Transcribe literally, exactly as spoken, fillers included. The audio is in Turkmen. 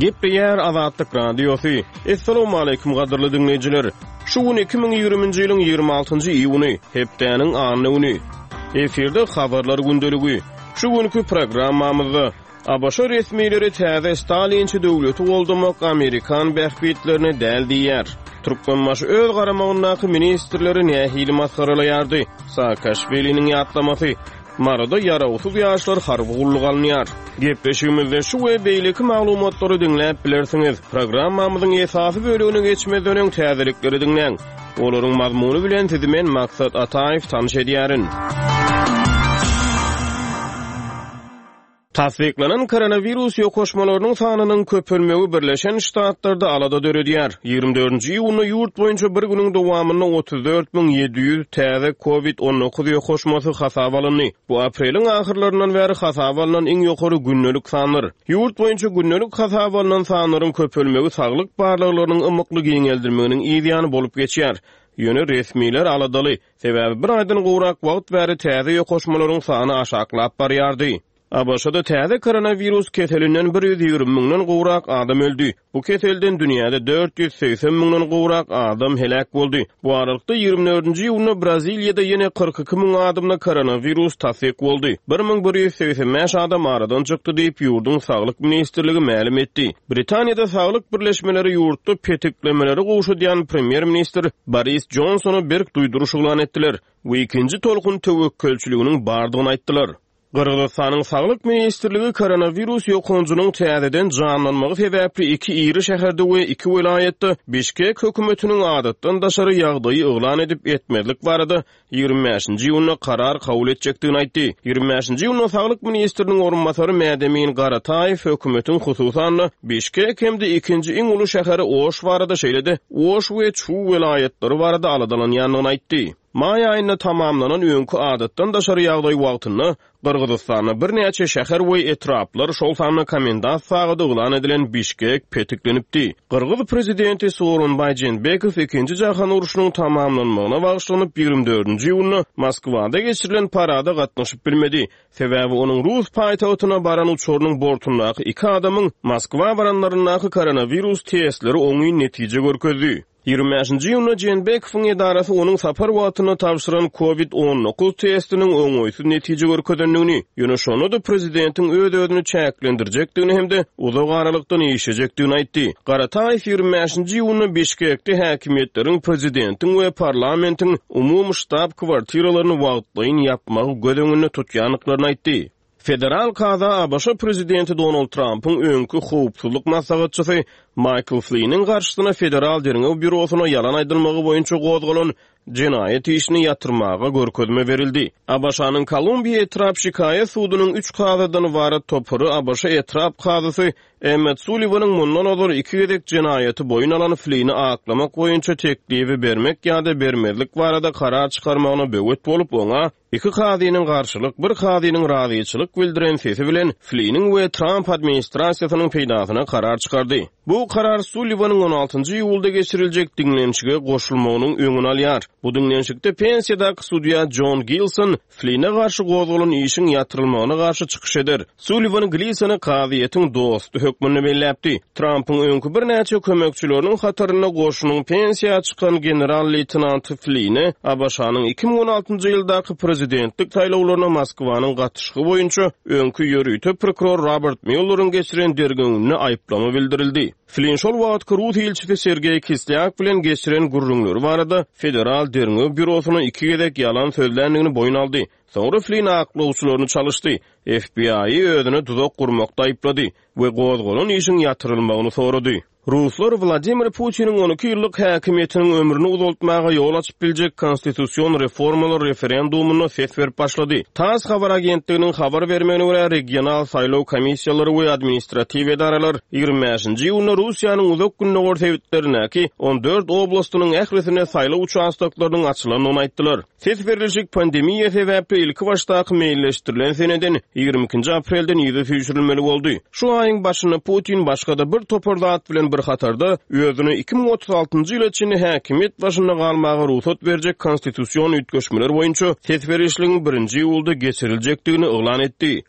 Gepleýär Azatlyk Radiosy. Assalamualaikum gadyrly diňleýjiler. Şu gün iki müň ýigriminji ýylyň ýigrimi altynjy iýuny, hepdäniň anna güni. Efirde habarlar gündeligi. Şu günki programmamyzda A B Ş resmileri täze Stalinçi döwleti goldamak Amerikan bähbitlerine däl diýýär. Türkmenbaşy öz garamagyndaky ministrleri nähili masgaralaýardy? Saakaşwiliniň ýatlamasy. Maryda ýarawsyz ýaşlar harby gulluk alynýar. Gepleşigimizde şu we beýleki maglumatlary diňläp bilersiňiz. Programmamyzyň esasy bölümine geçmezden öň täzelikleri diňläň. Olaryň mazmuny bilen sizi men Maksat Ataýew tanyş edýärin. Tasdiklanan koronavirus ýokaşmalarynyň sanynyň köpelmegi Birleşen Ştatlarda alada döredýär. Ýigrimi dördünji iýunda ýurt boýunça bir günüň dowamynda otuz dört müň ýedi ýüz täze COVID on dokuz ýokaşmasy hasaba alyndy. Bu apreliň ahyrlaryndan bäri hasaba alnan iň ýokary gündelik sandyr. Ýurt boýunça gündelik hasaba alnan sanlaryň köpelmegi saglyk barlaglarynyň ymykly giňeldilmeginiň yzýany bolup geçýär. Ýöne resmiler aladaly, sebäbi bir aýdan gowrak wagt bäri täze ýokaşmalaryň sany aşaklap barýardy. A B Ş-da täze koronavirus keselinden bir ýüz ýigrimi müňden gowrak adam öldü. Bu keselden dünýäde dört ýüz segsen müňden gowrak adam heläk boldy. Bu aralykda ýigrimi dördünji iýunda Braziliýada ýene kyrk iki müň adamda koronavirus tasdik boldy. Bir müň bir ýüz segsen bäş adam aradan çykdy diýip ýurduň Saglyk ministrligi mälim etdi. Britaniýada saglyk birleşmeleri ýurtda petiklemeleri gowşadýan premýer-ministr Boris Johnsona berk duýduryş yglan etdiler we ikinji tolkun töwekgelçiliginiň bardygyny aýtdylar. Gyrgyzystanyň Saglyk ministrligi koronavirus ýokanjynyň täzeden janlanmagy sebäpli iki iri şäherde we iki welaýatda Bişkek hökümetiniň adatdan daşary ýagdaýy yglan edip etmezlik barada ýigrimi bäşinji iýunda karar kabul etjekdigini aýtdy. Ýigrimi bäşinji iýunda Saglyk ministriniň orunbasary Mädemin Garataýew hökümetiň hususan Bişkek hem-de ikinji iň uly şäheri Oş barada şeýle-de Oş we Çu welaýatlary barada aladalanýandygyny aýtdy. Maý aýynda tamamlanan öňki adatdan daşary ýagdaý wagtynda Gyrgyzystanda birnäçe şäher we etraplar, şol sanda komendant sagady yglan edilen Bişkek petiklenipdi. Gyrgyz prezidenti Sooronbaý Jeenbekow ikinji jahan urşunyň tamamlanmagyna bagyşlanyp ýigrimi dördünji iýunda Moskwada geçirilen parada gatnaşyp bilmedi. Sebäbi onuň Rus paýtagtyna baran uçarynyň bortundaky iki adamyň Moskwa baranlaryndaky koronavirus testleri oňyn netije görkezdi. Ýigrimi bäşinji iýunda Jeenbekowyň edarasy onuň sapar wagtynda tabşyran COVID on dokuz testiniň oňaýsyz netije görkezendigini, ýöne şonda-da prezidentiň öz-özüni çäklendirjekdigini hem-de uzak aralykdan işlejekdigini aýtdy. Garataýew ýigrimi bäşinji iýunda Bişkekde häkimiýetleriň prezidentiň we parlamentiň umumy ştab kwartiralaryny wagtlaýyn ýapmagy göz öňünde tutýandyklaryny aýtdy. Federal kaza A B Ş prezidenti Donald Trumpyň öňki howpsuzlyk maslahatçysy Michael Flynn'in garşysyna Federal Derňew Býurosyna ýalan aýdylmagy boýunça gozgalan jenaýat işini ýatyrmaga görkezme berildi. A B Ş-nyň Kolumbiýa etrap şikaýat sudunyň üç kazadan ibarat topary A B Ş etrap kazysy Emmet Sullivan'yň mundan ozal iki gezek jenaýaty boýun alan Flynn'i aklamak boýunça teklibi bermek ýa-da bermezlik barada karar çykarmagyna böwet bolup, oňa iki kazynyň garşylyk, bir kazynyň razyçylyk bildiren sesi bilen Flynn'iň we Trump administrasiýasynyň peýdasyna karar çykardy. Bu karar Sullivan'yň on altynjy iýulda geçiriljek diňlenişige goşulmagynyň öňüni alýar. Bu diňlenişikde pensiýadaky sudýa John Gilson Flynn'e garşy gozgalan işiň ýatyrylmagyna garşy çykyş eder. Sullivan Gilsony kazyýetiň dosty hökmünde belläpdi. Trump'yň öňki birnäçe kömekçileriniň hatarynda goşunyň pensiýa çykan general-leýtenanty Flynn'e A B Ş-nyň iki müň on altynjy ýyldaky prezidentlik saýlawlaryna Moskwanyň gatyşygy boýunça öňki ýörite prokuror Robert Mueller'iň geçiren derňewinde aýyplama bildirildi. Flynn şol wagtky Rus ilçisi Sergeý Kislyak bilen geçiren gürrüňleri barada Federal Derňew Býurosyna iki gezek ýalan sözländigini boýun aldy. Soňra Flynn aklawçylaryny çalyşdy. F B I-i özüne tuzak gurmakda aýyplady we gozgalan işiň ýatyrylmagyny sorady. Ruslar Wladimir Putiniň on iki ýyllyk häkimiýetiniň ömrüni uzaltmaga ýol açyp biljek konstitusion reformalar referendumyna ses berip başlady. TASS habar agentliginiň habar bermegine görä regional saýlaw komissiýalary we administratiw edaralar ýigrimi bäşinji iýunda Russiýanyň uzak gündogar sebitlerindäki on dört oblastynyň ählisine saýlaw uçastoklarynyň açylandygyny aýtdylar. Ses berilişik pandemiýa sebäpli ilki başdaky meýilleşdirilen seneden ýigrimi ikinji aprelden ýüze süýşürilmeli boldy. Şu aýyň başynda Putin başga-da bir topar zat bilen bir hatarda özüne iki müň otuz altynjy ýyla çenli häkimiýet başynda galmaga rugsat berjek konstitusion üýtgeşmeler boýunça ses berişligiň birinji iýulda geçiriljekdigini yglan etdi.